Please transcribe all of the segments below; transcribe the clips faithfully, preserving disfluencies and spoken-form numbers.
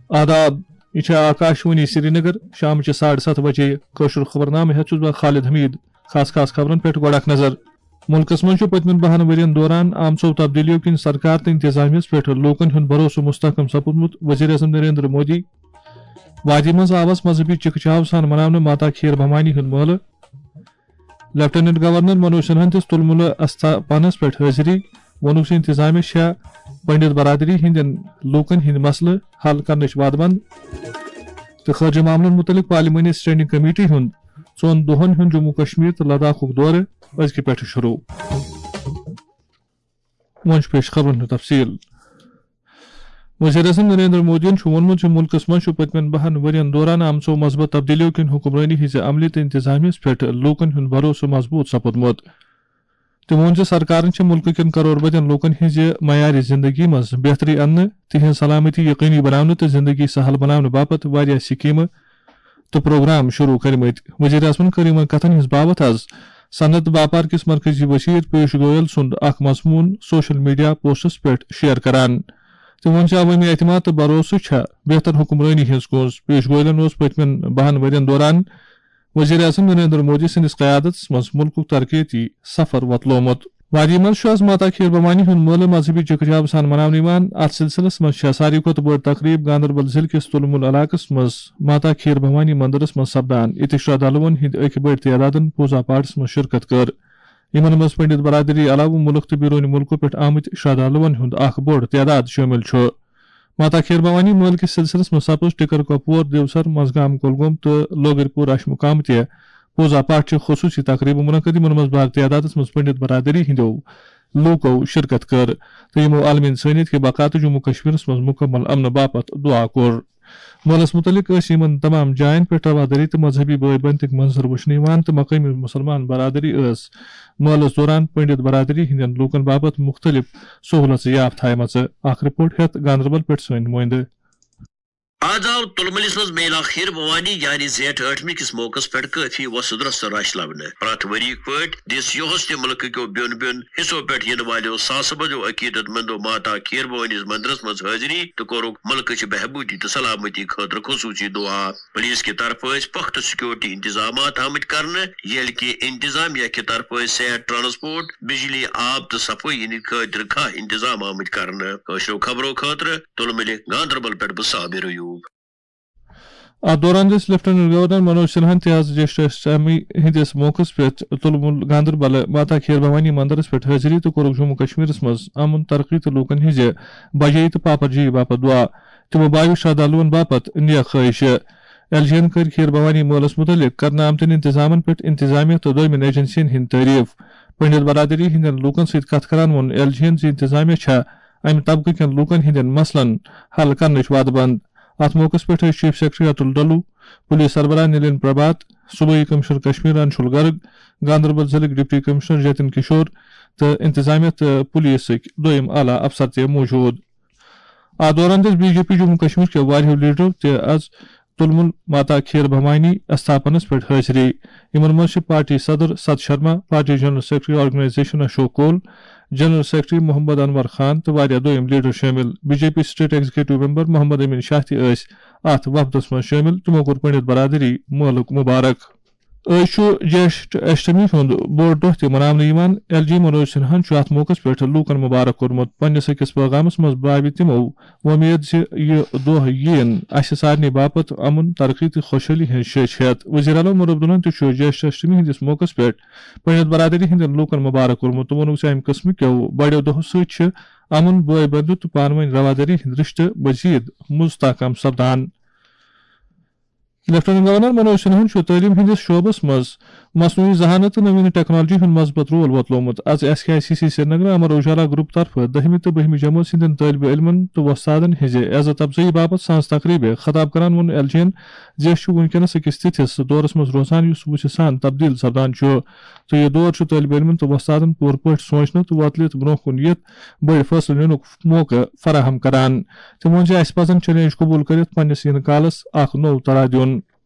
آداب، یہِ چھےٚ آکاشوانی سرینگر۔ شامچہِ ساڑٕ ستھ بجے کٲشُر خبرنامہٕ ہٮ۪تھ چھُس بہٕ خالد حمید۔ خاص خاص خبرن پٮ۪ٹھ گۄڈٕ اکھ نظر۔ مُلکس منٛز چھُ پٔتمٮ۪ن بَہَن ؤرِین دوران آمژو تبدیلیو کِنۍ سرکار تہٕ انتظامیہس پٮ۪ٹھ لوٗکن ہُنٛد بھروسہٕ مستحکم سپُدمُت، وزیر اعظم نریندر مودی۔ وادی منٛز آوس مذہبی چکہ چاو سان مناونہٕ ماتا کھیٖر بھوانی ہُنٛد مٲلہٕ۔ لیفٹیننٹ گورنر منوج سنہاہن دِژ تُلمُلہٕ استھاپنس پٮ۪ٹھ حٲضری۔ ووٚنُکھ زِ انتظامیہ چھےٚ پنڈت برادری ہٕنٛدٮ۪ن لوٗکن ہٕنٛدۍ مسلہٕ حل کرنٕچ وعدٕ بنٛد۔ تہٕ خارجہ معاملن مُتعلق پارلیمانی اسٹینڈنگ کمیٹی ہُنٛد ژۄن دۄہن ہُنٛد جموں کشمیر تہٕ لداخُک دورٕ أزکہِ پٮ۪ٹھٕ شروع۔ وۄنۍ چھُ پیش خبرن ہُنٛد تفصیل۔ وزیر اعظم نریندر مودیَن چھُ ووٚنمُت زِ مُلکَس منٛز چھُ پٔتمٮ۪ن بَہَن ؤرۍ یَن دوران آمژو مثبت تبدیلیو کِنۍ حکمرٲنی ہٕنٛزِ عملہِ تہٕ انتظامیہس پٮ۪ٹھ لوٗکَن ہُنٛد بھروسہٕ مضبوٗط سپُدمُت۔ تٔمۍ ووٚن زِ سرکارَن چھِ مُلکہٕ کٮ۪ن کرور بدٮ۪ن لوٗکَن ہٕنٛزِ معیارِ زِندگی منٛز بہتری اَننہٕ، تِہنٛز سلامتی یقینی بناونہٕ تہٕ زِندگی سہل بناونہٕ باپتھ واریاہ سکیمہٕ تہٕ پروگرام شروع کٔرمٕتۍ۔ وزیر اعظمَن کٔر یِمَن کتھَن ہٕنٛز باوتھ از صنعت باپار کِس مرکزی وزیر پیوش گویل سُنٛد اکھ مضموٗن سوشل میڈیا پوسٹس پٮ۪ٹھ شیئر کران۔ تٔمۍ ووٚن زِ عوٲمی اعتماد تہٕ بھروسہٕ چھےٚ بہتر حکمرٲنی ہٕنٛز کونٛز۔ پیوش گویلَن اوس پٔتمٮ۪ن بَہَن ؤرۍ یَن دوران وزیر اعظم نریندر مودی سٕنٛدِس قیادتس منٛز مُلکُک ترقیتی سفر وۄتلومُت۔ وادی منٛز چھُ از ماتا کھیٖر بھوانی ہُنٛد مٲلہٕ مذہبی چکہ چاو سان مناونہٕ یِوان۔ اتھ سلسلس منٛز چھےٚ ساروی کھۄتہٕ بٔڑ تقریب گاندربل ضلعہٕ کِس تُلمُل علاقس منٛز ماتا کھیٖر بھوانی مندرس منٛز سپدان، ییٚتہِ شرٛدھالوٗوَن ہٕنٛدۍ أکۍ بٔڑۍ تعدادن پوٗزا پاٹھس منٛز شرکت کٔر۔ یِمن منٛز پنڈت برادری علاوٕ مُلک تہٕ بیروٗنی مُلکو پٮ۪ٹھ آمٕتۍ شرٛدھالوٗوَن ہُنٛد اکھ بوٚڑ تعداد شٲمِل چھُ۔ ماتا کھیٖر بھوانی مٲلہٕ کِس سلسلس منٛز سپٕز ٹِکر کپور، دیوسر، منٛزگام کۄلگوم تہٕ لوگرپور اشمُقام تہِ پوٗزا پاٹھ چہِ خصوٗصی تقریبہٕ منعقد، یِمن منٛز بٔڑ تعدادس منٛز پنڈت برادری ہٕنٛدیو لوٗکو شرکت کٔر تہٕ یِمو عالمی انسٲنیت کہِ بقا تہٕ جموں کشمیرس منٛز مکمل امنہٕ باپتھ دعا کوٚر۔ مٲلَس مُتعلِق ٲسۍ یِمَن تمام جایَن پٮ۪ٹھ روادٲری تہٕ مذہبی بٲے بنتٕکۍ منظر وٕچھنہٕ یِوان تہٕ مقٲمی مُسلمان برادری ٲس مٲلَس دوران پنڈت برادری ہٕنٛدٮ۪ن لوٗکَن باپتھ مُختٔلِف سہوٗلژٕ یافتہٕ تھایمَژٕ۔ اکھ رپورٹ ہٮ۪تھ گاندربل پٮ۪ٹھ سٲنۍ نُمٲیندٕ۔ آز آو تُلمُلِس منٛز میلا خیٖر بھوانی یعنی زیٹھ ٲٹھمہِ کِس موقعس پٮ۪ٹھ کٲفی وۄسُد رۄسُد رش لبنہٕ۔ پرٛٮ۪تھ ؤریِک پٲٹھۍ دِژ یُہُس تہِ مُلکہٕ کیو بیوٚن بیوٚن حصو پٮ۪ٹھ یِنہٕ والیو ساسہٕ بٔدیو عقیدت مندو ماتا کھیٖر بھوٲنِس مندرس منٛز حٲضری تہٕ کوٚرُکھ مُلکٕچ بہبوٗدی تہٕ سلامتی خٲطرٕ خصوٗصی دُعا۔ پُلیٖس کہِ طرفہٕ ٲسۍ پۄختہٕ سیکورٹی انتظامات آمٕتۍ کرنہٕ، ییٚلہِ کہِ انتظامیہ کہِ طرفہٕ ٲسۍ صحت، ٹرانسپورٹ، بجلی، آب تہٕ صفٲیی ہٕنٛدۍ خٲطرٕ کھاہ انتظام آمٕتۍ کرنہٕ۔ کٲشرٮ۪و خبرو خٲطرٕ تُلمُلہِ گاندربل پٮ۪ٹھ بہٕ صابر ایوب۔ اتھ دوران دِژ لیفٹیننٹ گورنر منوج سنہاہن تہِ از جیشٹھ اشٹمی ہٕنٛدِس موقعس پٮ۪ٹھ تُلمُل گاندربل ماتا کھیٖر بھوانی مندرس پٮ۪ٹھ حٲضری تہٕ کوٚرُکھ جموں کشمیرس منٛز امن، ترقی تہٕ لوٗکن ہٕنٛزِ بجٲیی تہٕ پاپرجٲیی باپتھ دعا۔ تِمو بایو شرٛدھالوٗوَن باپتھ نیک خٲہِشہٕ۔ ایل جی یَن کٔرۍ کھیٖر بھوانی مٲلَس مُتعلِق کرنہٕ آمتٮ۪ن انتظامَن پٮ۪ٹھ انتظامیہ تہٕ دوٚیمٮ۪ن ایجنسیَن ہٕنٛدۍ تعریف۔ پنڈت برادری ہٕنٛدٮ۪ن لوٗکَن سۭتۍ کتھ کران ووٚن ایل جی یَن زِ انتظامیہ چھےٚ امہِ طبقہٕ کٮ۪ن لوٗکَن ہٕنٛدٮ۪ن مسلن حل کرنٕچ وعدٕ بنٛد۔ اتھ موقعس پٮ۪ٹھ ٲسۍ chief secretary Atul Dulloo, police سربراہ نلین پربھات، صوبٲئی کمشنر کشمیر انشول گرگ، گاندربل ضلعٕکۍ ڈپٹی کمشنر جتن کشور تہٕ انتظامیہ تہٕ پُلیٖسٕکۍ دوٚیِم اعلیٰ افسر تہِ موٗجوٗد۔ اتھ دوران دِژ B J P Jammu Kashmir کیو واریاہو لیڈرو تہِ از تُلمُل ماتا کھیٖر بھوانی استھاپنس پٮ۪ٹھ حٲضری۔ یِمن منٛز چھِ پارٹی صدر Sat Sharma, party general secretary organisation Ashok Koul, general secretary Mohammad Anwar Khan تہٕ واریاہ دوٚیِم لیڈر شٲمِل۔ B J P state executive member Mohammad Amin Shah تہِ ٲسۍ اتھ وفدس منٛز شٲمِل۔ تِمو کوٚر پنڈت برادری مٲلُک مبارک۔ أزۍ چھُ جیشٹھ اشٹمی ہُنٛد بوٚڑ دۄہ تہِ مناونہٕ یِوان۔ ایل جی منوج سنہاہن چھُ اتھ موقعس پٮ۪ٹھ لوٗکن مبارک کوٚرمُت۔ پننِس أکِس پٲغامس منٛز بایہِ تِمو وۄمید زِ یہِ دۄہ یِیِن اسہِ سارنٕے باپتھ امن، ترقی تہٕ خۄشحٲلی ہٕنٛز شیٚچھ ہٮ۪تھ۔ وزیر اعلیٰ عمر عبداللہن تہِ چھُ جیشٹھ اشٹمی ہٕنٛدِس موقعس پٮ۪ٹھ پنڈت برادری ہٕنٛدٮ۪ن لوٗکن مبارک کوٚرمُت تہٕ ووٚنُکھ زِ امہِ قٕسمہٕ کیو بڑیو دۄہو سۭتۍ چھِ امن، بٲے بندُت تہٕ پانہٕ ؤنۍ روادٲری ہٕنٛدۍ رشتہٕ مزید مستحکم سپدان۔ لیفٹیننٹ گورنر منوج سنہاہن چھُ تعلیٖم ہٕنٛدِس شعبس منٛز مصنوعی ذہانت تہٕ نوین ٹیکنالوجی ہُنٛد مثبت رول وۄتلومُت۔ از S K I C C Srinagar Amar Ujala group طرفہٕ دٔہمہِ تہٕ بٔہمہِ جمٲژ ہٕنٛدٮ۪ن طٲلبہِ علمن تہٕ وۄستادن ہٕنٛزِ عزت افزٲیی باپتھ سانز تقریبہِ خطاب کران ووٚن ایل جی یَن زِ أسۍ چھِ وُنکیٚنس أکِس تِتھِس دورس منٛز روزان یُس وُژھِ سان تبدیل سپدان چھُ تہٕ یہِ دور چھُ طٲلبہِ علمن تہٕ وۄستادن پوٗرٕ پٲٹھۍ سونچنہٕ تہٕ وۄتلِتھ برونٛہہ کُن یِتھ بٔڑۍ فٲصلہٕ نِنُک موقعہٕ فراہم کران۔ تٔمۍ ووٚن زِ اسہِ پزن چیلنج قبول کٔرِتھ پننِس یِنہٕ کالس اکھ نوٚو ترا دیُن۔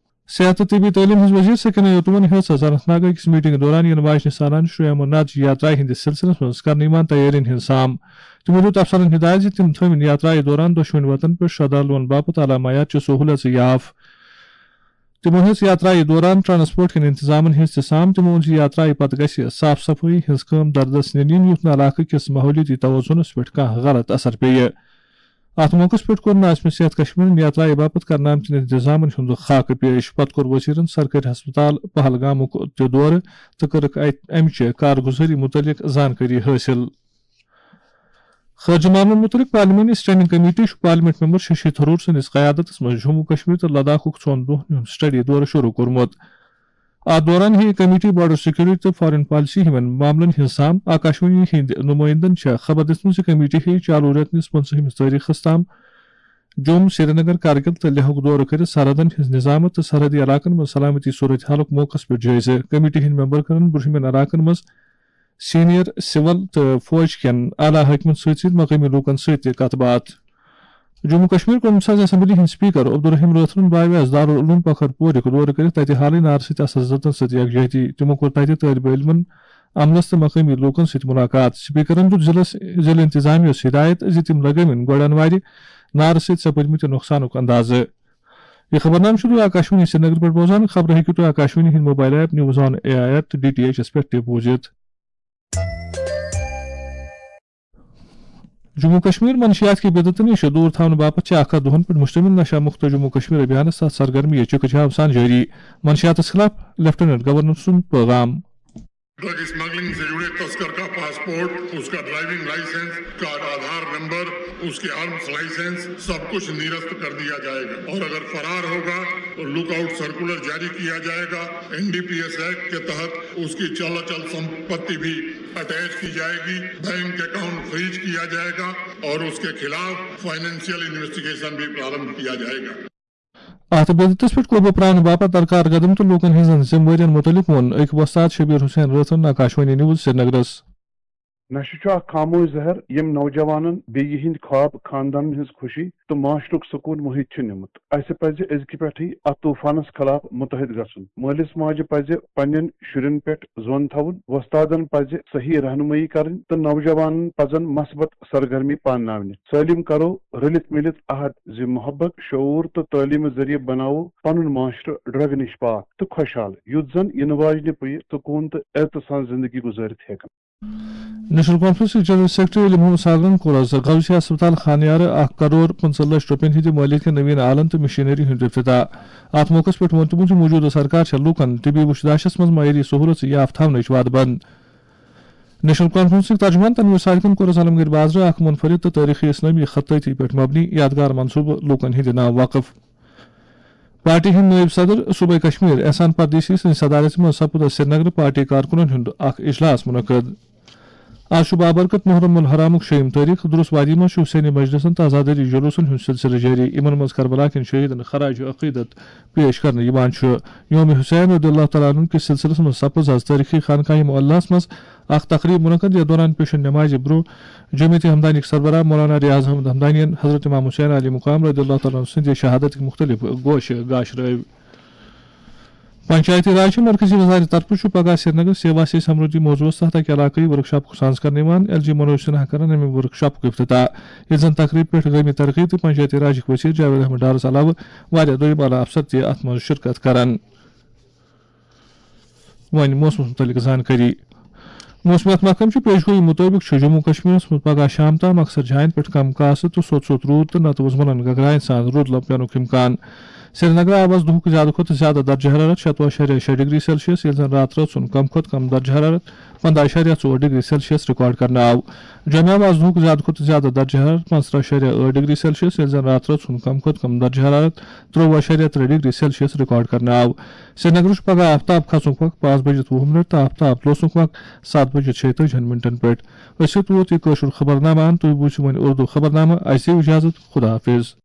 صحت تہٕ طبی تعلیٖم ہٕنٛز وزیر سکینہ یتیمن ہیٚژ از اننت ناگ أکِس میٹنگ دوران یِنہٕ واجنہِ سالانہٕ شری امرناتھ جی یاترا ہٕنٛدِس سلسلس منٛز کرنہٕ یِوان تیٲرین ہٕنٛز سام۔ تِمو دیُت افسرن ہدایت زِ تِم تھٲوِن یاترایہِ دوران دۄشوٕنۍ وطن پٮ۪ٹھ شردھالوٗوَن باپتھ علامایات چہِ سہوٗلیژٕ یاف۔ تِمو ہیٚژ یاترایہِ دوران ٹرانسپورٹ کٮ۪ن انتظامن ہٕنٛز تہِ سام۔ تِمو ووٚن زِ یاترایہِ پتہٕ گژھِ صاف صفٲیی ہٕنٛز کٲم دردس نِنہٕ یِنۍ، یُتھ نہٕ علاقہٕ کِس ماحولیٲتی توازنس پٮ۪ٹھ کانٛہہ غلط اثر پیٚیہِ۔ اتھ موقعس پٮ۪ٹھ کوٚر ناظمِ صحت کشمیرن یاترایہِ باپتھ کرنہٕ آمتٮ۪ن انتظامن ہُنٛد خاکہٕ پیش۔ پتہٕ کوٚر وزیرن سرکٲرۍ ہسپتال پہلگامُک تہِ دورٕ تہٕ کٔرٕکھ اتہِ امہِ چہِ کارگُزٲری مُتعلق زانکٲری حٲصِل۔ خارجہ معاملن متعلق پارلیمانی اسٹینڈنگ کمیٹی چھُ پارلیمنٹ ممبر ششی تھرور سٕنٛدِس قیادتس منٛز جموں کشمیر تہٕ لداخُک ژۄن دۄہن ہُنٛد سٹڈی دورٕ شروع کوٚرمُت۔ اتھ دوران ہیٚیہِ کمیٹی بارڈر سیکورٹی تہٕ فارن پالیسی ہِوٮ۪ن معاملن ہٕنٛز سام۔ آکاشوانی ہٕنٛدۍ نمٲیندن چھےٚ خبر دِژمٕژ زِ کمیٹی ہیٚیہِ چالو رٮ۪تہٕ نِس پٕنٛژٕہمِس تٲریخس تام جوم، سرینگر، کرگل تہٕ لیہُک دورٕ کٔرِتھ سرحدن ہٕنٛز نظامت تہٕ سرحدی علاقن منٛز سلامتی صورت حالُک موقعس پٮ۪ٹھ جٲیزٕ۔ کمیٹی ہٕنٛدۍ ممبر کرن برٛونٛہمٮ۪ن علاقن منٛز سینئر سول تہٕ فوج کٮ۪ن اعلیٰ حٲکمن سۭتۍ سۭتۍ مقٲمی لوٗکن سۭتۍ تہِ کتھ باتھ۔ جموں کشمیر قومی ساز اسمبلی ہٕنٛدۍ سپیکر عبدالرحیم رٲتھرَن بایو اَسہِ دارالعلوم پکھر پورُک دورٕ کٔرِتھ تَتہِ حالٕے نارٕ سۭتۍ اثر زدن سۭتۍ یکجہتی۔ تِمو کوٚر تَتہِ طٲلبہِ علمن، عملس تہٕ مقٲمی لوٗکن سۭتۍ مُلاقات۔ سپیکرَن دیُت ضلعس، ضلعہٕ انتظامیہس ہدایت زِ تِم لگٲوِن گۄڈٕ انوارِ نارٕ سۭتۍ سپٕدمٕتہِ نۄقصانُک اندازٕ۔ یہِ خبرنامہٕ چھِو تُہۍ آکاشوانی سرینگر پٮ۪ٹھ بوزان۔ خبرٕ ہیٚکِو تُہۍ آکاشوانی ہٕنٛدۍ mobile app news on A I ایٹ ڈی ٹی ایچ یَس پٮ۪ٹھ تہِ بوٗزِتھ۔ جموں کشمیر منشیات کہِ بدعتہٕ نِش دوٗر تھاونہٕ باپتھ چھِ اکھ ہتھ دۄہن پٮ۪ٹھ مشتمل نشہ مکت جموں کشمیر ابھیانس تحت سرگرمی چکہ جام سان جٲری۔ منشیاتس خلاف لیفٹیننٹ گورنر سُنٛد پیغام۔ ڈرگ اسمگلنگ سے جڑے تسکر کا پاسپورٹ، اس کا ڈرائیونگ لائسنس، اس کا آدھار نمبر، اس کے آرمز لائسنس، سب کچھ نرست کر دیا جائے گا اور اگر فرار ہوگا تو لک آؤٹ سرکولر جاری کیا جائے گا۔ N D P S act کے تحت اس کی چل اچل سمپتی بھی اٹیچ کی جائے گی، بینک اکاؤنٹ فریز کیا جائے گا اور اس کے خلاف فائنینشیل انویسٹیگیشن بھی پرارمبھ کیا جائے گا۔ اتھ بدعتس پٮ۪ٹھ قوبوٗ پرٛاونہٕ باپتھ درکار قدم تہٕ لوٗکن ہٕنٛزن ذمہٕ وٲرین مُتعلق ووٚن أکۍ وۄستاد شبیر حسین رٲتھرَن آکاشوانی نیوز سرینگرس۔ نشہٕ چھُ اکھ خاموش زہر، ییٚمۍ نوجوانن بیٚیہِ ہٕنٛدۍ خواب، خاندانن ہٕنٛز خوشی تہٕ معاشرُک سکوٗن مٔہِتھ چھُ نِمُت۔ اسہِ پزِ أزکہِ پٮ۪ٹھٕے اتھ طوفانس خلاف متحد گژھُن۔ مٲلِس ماجہِ پزِ پننٮ۪ن شُرٮ۪ن پٮ۪ٹھ زون تھاوُن، وۄستادن پزِ صحیح رہنمٲیی کرٕنۍ تہٕ نوجوانن پزن مثبت سرگرمی پانناونہِ۔ سٲلِم کرو رٔلِتھ مِلِتھ عہد زِ محبت، شعوٗر تہٕ تعلیٖمہٕ ذٔریعہٕ بناوو پنُن معاشرٕ ڈرگ نِش پاک تہٕ خۄشحال، یُتھ زن یِنہٕ واجنہِ پُیہِ سکوٗن تہٕ عزتہٕ سان زندگی گُزٲرِتھ ہیٚکن۔ نیشنل کانفرنسٕکۍ جنرل سیکرٹری علی محمد ساگرن کوٚر آز غوثیہ ہسپتال خانیارٕ اکھ کرور پٕنٛژٕہ لچھ رۄپین ہٕنٛدِ مٲلیت کٮ۪ن نوین آلن تہٕ مشینری ہُنٛد افتتاح۔ اتھ موقعس پٮ۪ٹھ ووٚن تِمو زِ موجودٕ سرکار چھےٚ لوٗکن طبی وُچھ داشس منٛز معیٲری سہولژ یاف تھاونٕچ وعدٕ بنٛد۔ نیشنل کانفرنسٕکۍ ترجمان تنویر صادقن کوٚر عالمگیر بازرٕ اکھ منفرد تہٕ تٲریخی اسلٲمی خطٲطی پٮ۪ٹھ مبنی یادگار منصوبہٕ لوٗکن ہٕنٛدِ ناو وقف۔ پارٹی ہٕنٛدۍ نٲیِب صدر صوبے کشمیر احسان پردیسی سٕنٛزِ صدارت منٛز سپُد آز سرینگرٕ پارٹی کارکُنن ہُنٛد اکھ اجلاس منعقد۔ آز چھُ بابرکت محرم الحرامُک شیٚیِم تٲریخ۔ درُس وادی منٛز چھُ حسینی مجلسن تہٕ عزاداری جلوسن ہُنٛد سلسلہٕ جٲری۔ یِمن منٛز کربلا کٮ۪ن شہیدن خراج عقیدت پیش کرنہٕ یِوان چھُ۔ یوم حسین رضی اللہ تعالیٰ عنہ کِس سلسلس منٛز سپٕز آز تٲریخی خانقاہ معلیٰ ہس منٛز اکھ تقریب منعقد، یتھ دوران پیشن نمازِ برونٛہہ جمعیت ہمدانیک سربراہ مولانا ریاض احمد ہمدانین حضرت امام حسین علی مقام رضی اللہ تعالیٰ عنہ سٕنٛدِ شہادتٕکۍ مختلف گوشہٕ گاش رٲوۍ۔ پنچایتی راج چہِ مرکزی وزارت طرفہٕ چھُ پگاہ سرینگر سیوا سے سمردھی موضوعس تحت اکہِ علاقٲیی ورکشاپُک سانز کرنہٕ یِوان۔ ایل جی منوج سنہا کرن امہِ ورکشاپُک افتتاح۔ ییٚتہِ زن تقریب پٮ۪ٹھ گٲمی ترقی تہٕ پنچایتی راجٕکۍ وزیر جاوید احمد ڈارس علاوٕ واریاہ دوٚیِم اعلیٰ افسر تہِ اتھ منٛز شرکت کرن۔ وۄنۍ موسمس مُتعلق زانکٲری۔ موسمیات محکمہٕ چہِ پیشگویی مُطٲبِق چھُ جموں کشمیرس منٛز پگاہ شام تام اکثر جاین پٮ۪ٹھ کم کاسہٕ تہٕ سوٚت سوٚت روٗد تہٕ نتہٕ وُزملن گگراین سان روٗد لم پینُک امکان۔ سرینگرٕ آو آز دُہُک زیادٕ کھۄتہٕ زیادٕ درجہٕ حرارت شتوُہ اَشاریہ شےٚ ڈگری سیلسیس، ییٚلہِ زن راتہٕ رٲژ ہُنٛد کم کھۄتہٕ کم درجہٕ حرارت پنٛداہ اَشاریہ ژور ڈگری سیلسیس ریکارڈ کرنہٕ آو۔ جوٚمہِ آو آز دُہُک زیادٕ کھۄتہٕ زیادٕ درجہٕ حرارت پانٛژترٕٛہ اَشاریہ ٲٹھ ڈگری سیلسیس، ییٚلہِ زن راتہٕ رٲژ ہُنٛد کم کھۄتہٕ کم درجہٕ حرارت ترٛوٚوُہ اَشاریہ ترٛےٚ ڈگری سیلسیس ریکارڈ کرنہٕ آو۔ سرینگرٕ چھُ پگاہ آفتاب کھسنُک وق پانٛژھ بجِتھ وُہ منٹ تہٕ آفتاب لوسنُک وق ستھ بجِتھ شیٚیہِ تٲجِہن منٹن پٮ۪ٹھ۔ أسۍ چھِ تُہُنٛد یہِ کٲشُر خبرنامہٕ ان، تُہۍ بوٗزِو وۄنۍ اردو خبرنامہٕ۔ اَسہِ دِیِو اجازت، خدا حافظ۔